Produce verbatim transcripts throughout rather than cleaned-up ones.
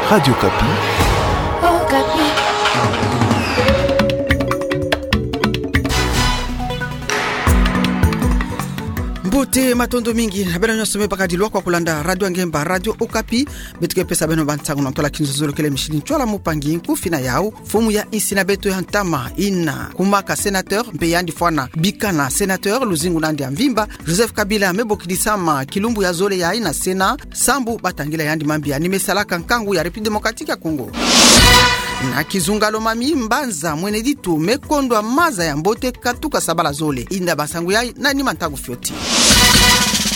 Radio Okapi. Okapi. Mbote, matondo mingi na beno nyonso me bakadilwa kwa kulanda Radio Angemba, Radio Okapi. Beto ke pesa beno bansangu na ntwala kinzonzolo kele mishini ntwala mupangi nkufi na yau. Mfumu ya insi na beto ya ntama ina kumaka sénateur, mpe yandi fwana bikana sénateur luzingu na yandi ya mvimba, Joseph Kabila, me bokidisama kilumbu ya zole yayi na Sénat, sambu batangila yandi mambi ya ni me salaka nkangu ya République Démocratique ya Congo. Na kizunga Lomami, mbanza mwene ditu me kondwa maza ya mbote katuka sabala zole. Inda bansangu yayi na nima ntangu fioti.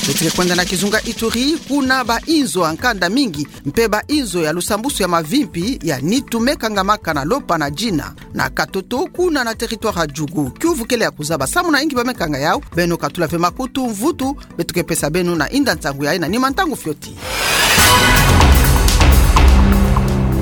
Beto ke kwenda na kizunga Ituri, kuna ba inzo ya nkanda mingi mpe ba inzo ya lusambusu ya mavimpi ya nitu me kangamaka na lopa na dina na katoto kuna na territoire ya Djugu. Kiuvu kele ya kuzaba samu na inki ba me kanga yau. Beno katula ve makutu, mvutu beto ke pesa beno na inda nsangu yayi na nima ntangu fioti.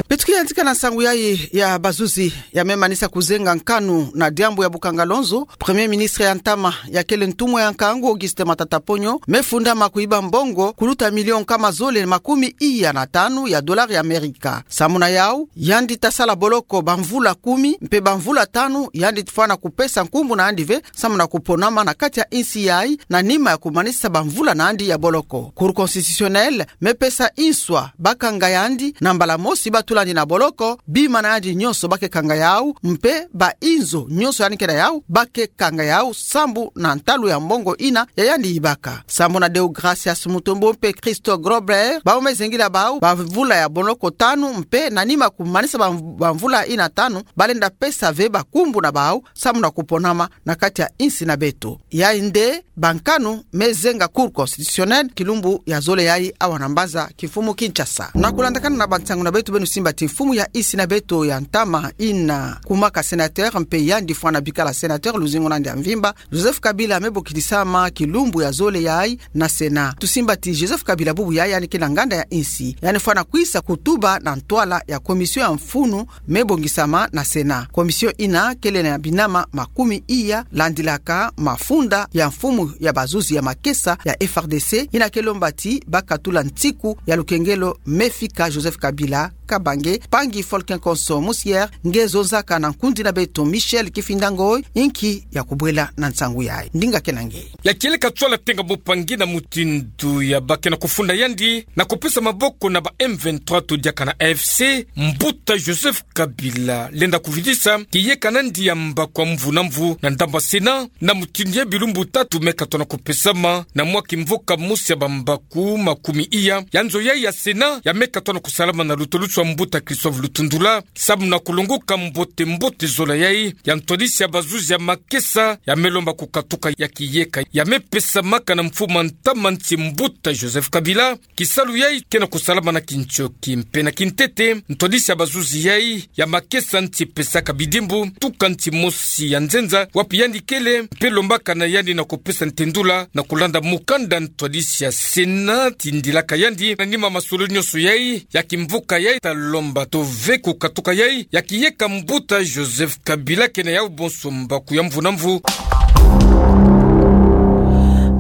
Beto ke yantika na nsangu yayi ya bazuzi ya me manisa kuzenga nkanu na diambu ya bukanga lonzo. Premier ministre ya ntama ya kele ntumwa ya nkangu, Augustin Matata Ponyo, me fundama kuiba mbongo kuluta million nkama zole makumi iya na tanu ya dollars ya Amerika. Samu na yau, yandi ta sala boloko bamvula kumi, mpe bamvula tanu yandi fwana kupesa nkumbu na yandi ve samu na kuponama na kati ya insi yayi na nima ya kumanisa bamvula na yandi ya boloko. Cour constitutionnelle me pesa inswa bakanga yandi na mbala mosi batula yandi na boloko, bima na yandi nyonso ba ke kanga yau, mpe ba inzo nyonso yandi ke na yau ba ke kanga yau sambu na ntalu ya mbongo ina ya yandi ibaka. Sambu na Deogracias Mutombo mpe Christo Grobler, bau me zengila bau bamvula ya boloko tanu, mpe na nima kumanisa ba, bamvula ina tanu, ba lenda pesa ve bakumbu na bau samu na kuponama na kati ya insi na beto. Yayi nde bankanu me zenga Cour constitutionnelle kilumbu ya zole yayi awa na mbanza kimfumu Kinshasa. Na kulandakana na bansangu na beto, beno simba ti mfumu ya insi na beto ya ntama ina kumaka sénateur mpe yandi fwana bikala sénateur luzingu na yandi ya mvimba, Joseph Kabila, me bokidisama kilumbu ya zole yayi na Sénat. Tusimba ti Joseph Kabila bubu yayi yandi ke na nganda ya insi, yandi fwana kwisa kutuba na ntwala ya commission ya mfunu me bongisama na Sénat. Commission ina kele na binama makumi iya, landilaka mafunda ya mfumu ya bazuzi ya makesa ya F R D C, ina ke lomba ti ba katula ntiku ya lukengelo me fika Joseph Kabila Kabange. Mpangi Folkin Konso Musier nge zonzaka na nkundi na beto Michel Kifinda Ngoi, inki ya kubwela na nsangu yayi. Ndinga ke na nge. Ya kieleka ntwala tenga mpangi na mutindu ya ba ke na kufunda yandi na kupesa maboko na ba M vingt-trois to diaka na A F C, mbuta Joseph Kabila lenda kuvidisa kiyeka na yandi ya mbaku ya mvu na mvu na ndambu ya Sénat, na mutindu ya bilumbu tatu me katona kupesama na mwa kimvuka mosi ya bambaku makumi iya. Ya nzo yayi ya Sénat ya me katona kusalama na lutulusu ya mbuta Christophe Lutundula, samu na kulongoka mbote mbote zola yayi ya ntwadisi ya bazuzi ya makesa, ya me lomba kukatuka ya kiyeka ya me pesamaka na mfumu ya ntama nsi, mbuta Joseph Kabila. Kisalu yayi ke na kusalama na kintioki mpe na kintete. Ntwadisi ya bazuzi yayi ya makesa nsi pesaka bidimbu tuka nsi mosi ya nzenza wapi yandi kele, mpe lombaka na yandi na kupesa ntendula na kulanda mukanda ntwadisi ya Sénat tindilaka yandi na nima masolo nyonso yayi ya kimvuka yayi ta lomba to ve kukatuka yayi ya kiyeka mbuta Joseph Kabila ke na yau bonso mbaku ya mvu na mvu.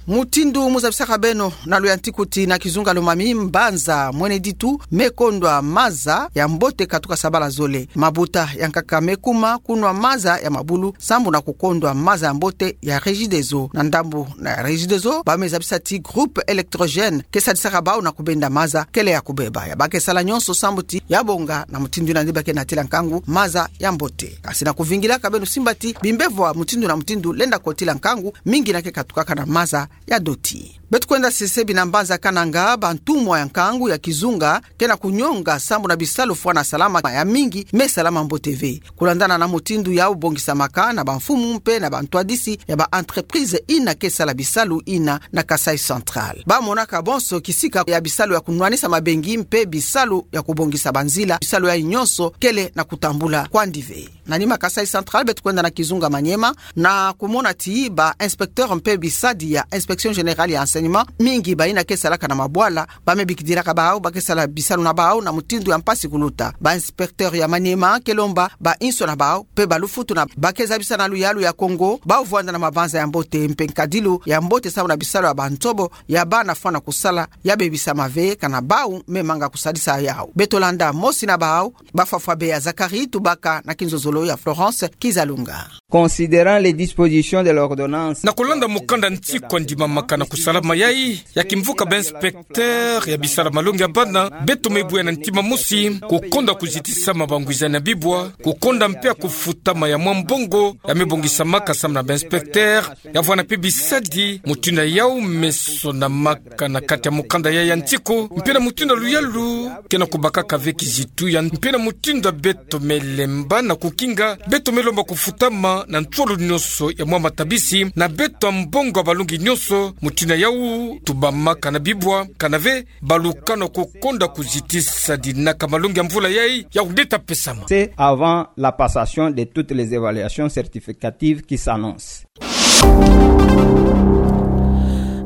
Mutindu muzabisaka beno na luyantiku ti na kizunga Lomami, mbanza mwene ditu me kondwa maza ya mbote katuka sabala zole. Mabuta ya nkaka me kuma kunwa maza ya mabulu sambu na kukondwa maza ya mbote ya Regideso. Na ndambu na ya Regideso, ba me zabisa ti groupe électrogène ke sadisaka bau na kubenda maza kele ya kubeba. Ya ba ke sala nyonso sambu ti ya bonga na mutindu ina nde ba ke natila nkangu maza ya mbote. Kasi na kuvingilaka, beno simba ti bimbevo ya mutindu na mutindu lenda kotila nkangu, mingi ina ke katukaka na maza ya doti. Beto kwenda sesebi na mbanza Kananga, bantumwa ya nkangu ya kizunga ke na kunyonga sambu na bisalu fwana salama ya mingi me salama mbote ve. Kulandana na mutindu yau bongisamaka na bamfumu mpe na bantwadisi ya ba entreprise ina ke sala bisalu ina na Kasaï Central, ba monaka bonso kisika ya bisalu ya kunwanisa mabengi mpe bisalu ya kubongisa banzila, bisalu yayi nyonso kele na kutambula kwandi ve. Na nima Kasaï Central, beto kwenda na kizunga Maniema na kumona ti ba inspecteur mpe bisadi ya Inspection Générale ya Enseignement nima, mingi bayina ke salaka na mabwala, ba me bikidilaka bawu ba ke sala bisalu na bawu na mutindu ya mpasi kuluta. Ba inspecteur ya maniema ke lomba bainso na bawu, mpe ba lufutu na ba ke zabisa na luyalu ya Kongo, bawu vwanda na mabanza ya mbote mpe nkadilu ya mbote samu na bisalu ya bantobo, ya bana fwana kusala, ya bebisama ve, kana bawu me manga kusadisa yawu. Beto landa mosi na bawu, Bafwafwabe ya Zacharie, tubaka na kinzozolo ya Florence Kizalunga. Considérant les dispositions de l'ordonnance. Na kulanda mukanda ntiku a ndimamaka na kusalama yayi, ya kimvuka ba inspecteur ya bisalu malongi ya bana, beto me bwe na ntima mosi, kukonda kuzitisama bangwizani ya bibwa, kukonda mpe ya kufutama ya mwa mbongo, ya me bongisamaka samu na ba inspecteur, ya vwanda mpe bisadi, mutindu yawu me sonamaka na kati ya mukanda yayi ya ntiku, mpe na mutindu luyalu, ke na kubakaka ve kizitu ya, mpe na mutindu beto me lemba na kukinga, beto me lomba kufutama na ntolo nyonso ya mwa matabisi, na beto mbongo ya balongi nyonso, mutindu yawu, tubamaka na bibwa, kana ve, ba lukana kukonda kuzitisa dinaka malongi ya mvula yayi, ya kudeta pesama. C'est avant la passation de toutes les évaluations certificatives qui s'annoncent.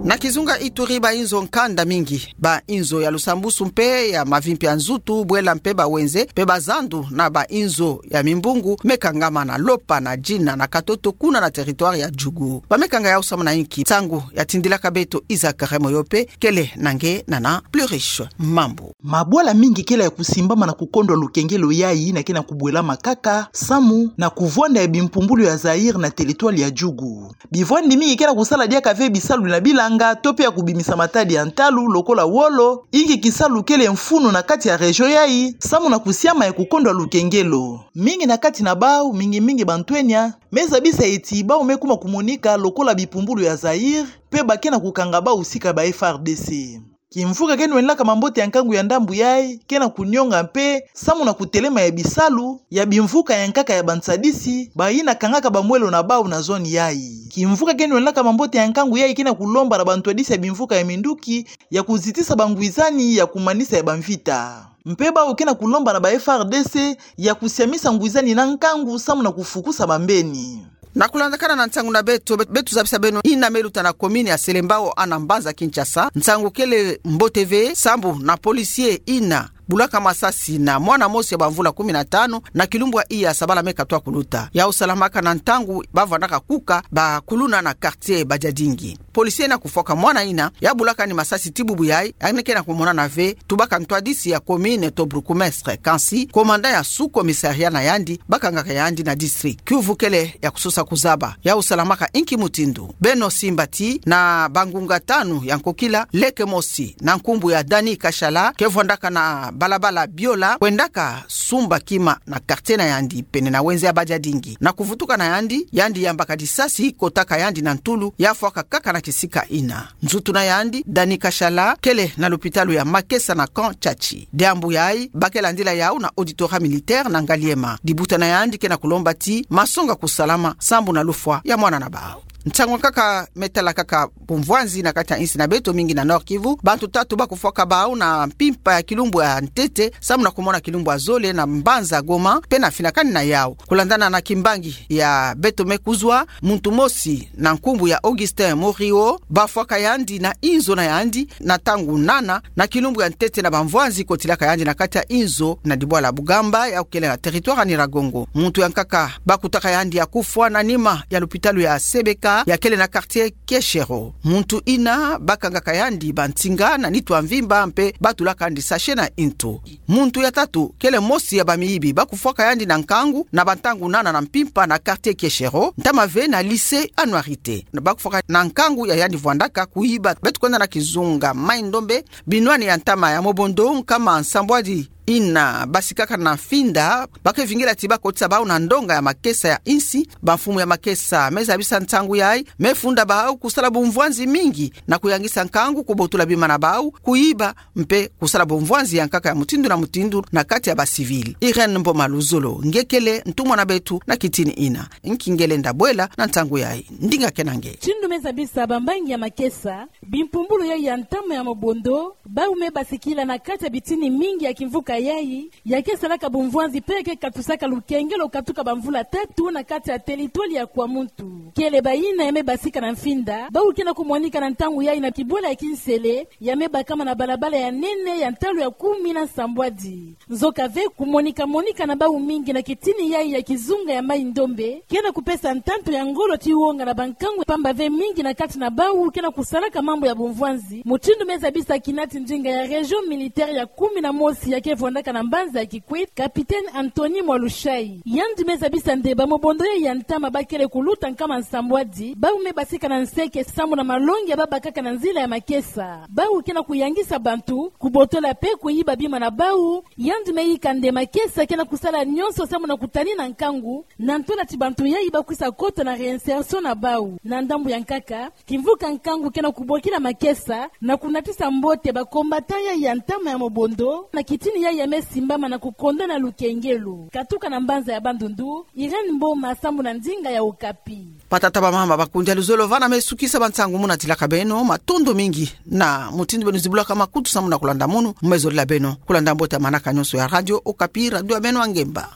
Na kizunga Ituri, bainzo nkanda mingi, bainzo ya lusambusu mpe ya mavimpi ya nzutu, bwela mpe bawenze, mpe bazandu na bainzo ya mimbungu, me kangama na Lopa, na Djina, na Katoto, kuna na territoire ya Djugu. Ba me kanga yawu samu na inki? Nsangu ya tindilaka beto Isaac Remoyope, kele na nge nana Pluriche Mambu. Mabwala mingi kele ya kusimbama na kukondwa lukengelo yayi, na ke na kubwelama kaka samu na kuvwanda ya bimpumbulu ya Zaïre na territoire ya Djugu. Bivwandi mingi ke na kusala diaka ve bisalu na bilanga, to mpe ya kubimisa matadi ya ntalu, lokola wolo, inki kisalu kele mfunu na kati ya région yayi, samu na kusiama ya kukondwa lukengelo. Mingi na kati na bawu, mingi mingi bantwenia, me zabisa ti bawu me kuma kumonika lokola bipumbulu ya Zaïre, mpe ba ke na kukanga bawu sika ba F A R D C. Kimvuka ke nwendilaka mambote ya nkangu ya ndambu yayi, ke na kunionga mpe, samu na kutelema ya bisalu ya bimvuka ya nkaka ya bansadisi, bayina kangaka bamwelo na bawu na zone yayi. Kimvuka ke nwendilaka mambote ya nkangu yayi, ke na kulomba na bantwadisi ya bimvuka ya minduki, ya kuzitisa bangwizani ya kumanisa ya bamvita. Mpe bawu ke na kulomba na ba F A R D C ya kusiamisa ngwizani na nkangu samu na kufukusa bambeni. Na kulandakana na nsangu na beto, be-, beto zabisa beno ina me luta na commune ya Selembao ana mbanza Kinshasa, nsangu kele mbote ve, sambu na policier ina bulaka masasi na mwana mosi ya bamvula kumi na tanu, na kilumbu ya iya sabala me katwa kuluta. Yawu salamaka na ntangu bavwandaka kuka bakuluna na quartier Badiadingi. Policier na kufwaka mwana ina, ya bulaka ni masasi ti bubu yayi, yandi ke na kumonana ve, tubaka ntwadisi ya commune to bourgmestre, kansi, commandant ya sous-commissariat na yandi, bakangaka yandi na district. Kiuvu kele ya kusosa kuzaba. Yawu salamaka inki mutindu? Beno simba ti, na bangunga tanu ya nkokila, leke mosi, na nkumbu ya Dani Kashala, ke vwandaka na balabala Biola, kwendaka sumba kima na quartier na yandi, pene na wenze ya Badiadingi. Na kuvutuka na yandi, yandi yambaka disasi, kotaka yandi na ntulu, ya fwaka kaka na kisika ina. Nzutu na yandi, Dani Kashala, kele na lupitalu ya Makesa na camp Tshatshi. Diambu yayi, ba ke landila yawu na auditorat militaire na Ngaliema. Dibuta na yandi ke na kulomba ti masonga kusalama, sambu na lufwa ya mwana na bawu. Nsangu nkaka me tala kaka bumvwanzi na kati ya insi na beto, mingi na Nord-Kivu. Bantu tatu bakufwaka bawu na mpimpa ya kilumbu ya ntete, samu na kumona kilumbu ya zole na mbanza Goma, mpe na finakani na yawu. Kulandana na kimbangi ya beto me kuzwa, muntu mosi na nkumbu ya Augustin Morio, bafwaka yandi na inzo na yandi, na ntangu nana, na kilumbu ya ntete na bamvwanzi kotilaka yandi na kati ya inzo na dibwala Bugamba, yawu kele na territoire ya Nyiragongo. Muntu ya nkaka bakutaka yandi ya kufwa na nima ya lupitalu ya Sebeka, ya kele na quartier Kieshero. Muntu ina bakangaka yandi bansinga na nitu ya mvimba mpe batulaka yandi sachet na ntu. Muntu ya tatu, kele mosi ya bamiyibi, bakufwaka yandi na nkangu, na bantangu nana na mpimpa na quartier Kieshero, ntama ve na lycée Annuarité. Bakufwaka na nkangu ya yandi vwandaka kuyiba, beto kwenda na kizunga Mai-Ndombe, binwani ya ntama ya Mobondo, nkama nsambwadi ina basikaka na finda, ba ke vingila ti bakotisa bawu na ndonga ya makesa ya insi, bamfumu ya makesa me zabisa nsangu yayi, me funda bawu kusala bumvwanzi mingi, na kuyangisa nkangu kubotula bima na bawu, kuyiba, mpe kusala bumvwanzi ya nkaka ya mutindu na mutindu na kati ya ba civil. Irène Mboma Luzolo, nge kele ntumwa na beto na kitini ina. Nki nge lenda bwela na nsangu yayi? Ndinga ke na nge. Tindu me zabisa bambangi ya makesa, bimpumbulu yayi ya ntama ya Mobondo, bawu me basikila na kati ya bitini mingi ya kimvuka yai, ya ke salaka bumvwanzi pe ya ke katusaka lukengelo katuka bamvula tatu na kati ya teritwali ya Kwamuntu. Kele bayina ya me basika na mfinda, bawu ke na kumonika na ntangu yai na kibwela ya Kinsele, ya me bakama na balabala ya nene ya ntalu ya kumi na nsambwadi. Nzoka ve, kumonika-monika na bawu mingi na kitini yai ya kizunga ya Mai-Ndombe, ke na kupesa ntantu ya ngolo ti wonga na bankangu, pamba ve mingi na kati na bawu ke na kusalaka mambu ya bumvwanzi, mutindu me zabisa kinati ndinga ya région militaire ya kumi na mosi ya ke vwandaka na mbanza ya Kikwit, Capitaine Anthony Mwalushai. Yandi me zabisa nde bamobondo yai ya ntama bakele kuluta nkama nsambwadi, bawu me basika na nseke samu na malongi ya babakaka na nzila ya makesa. Bawu ke na kuyangisa bantu, kubotola pe kuyiba bima na bawu. Yandi me yika nde makesa ke na kusala nyonso samu na kutanina nkangu, na ntola ti bantu yai bakwisa kota na réinsertion na bawu. Na ndambu ya nkaka, kimvuka nkangu ke na kubokila makesa, na kunatisa mbote bacombattants yai ya ntama ya mobondo, na kitini yai ya me simbama na kukonda na lukengelo. Katuka na mbanza ya Bandundu, Irène Mboma samu na ndinga ya Okapi. Batata bamama, bakundi ya luzolo, vana me sukisa bansangu muna tilaka beno, matondo mingi na mutindu beno zibulaka makutu samu na kulanda munu, me zolila beno kulanda mbote ya manaka nyonso ya Radio Okapi, radio ya beno ya ngemba.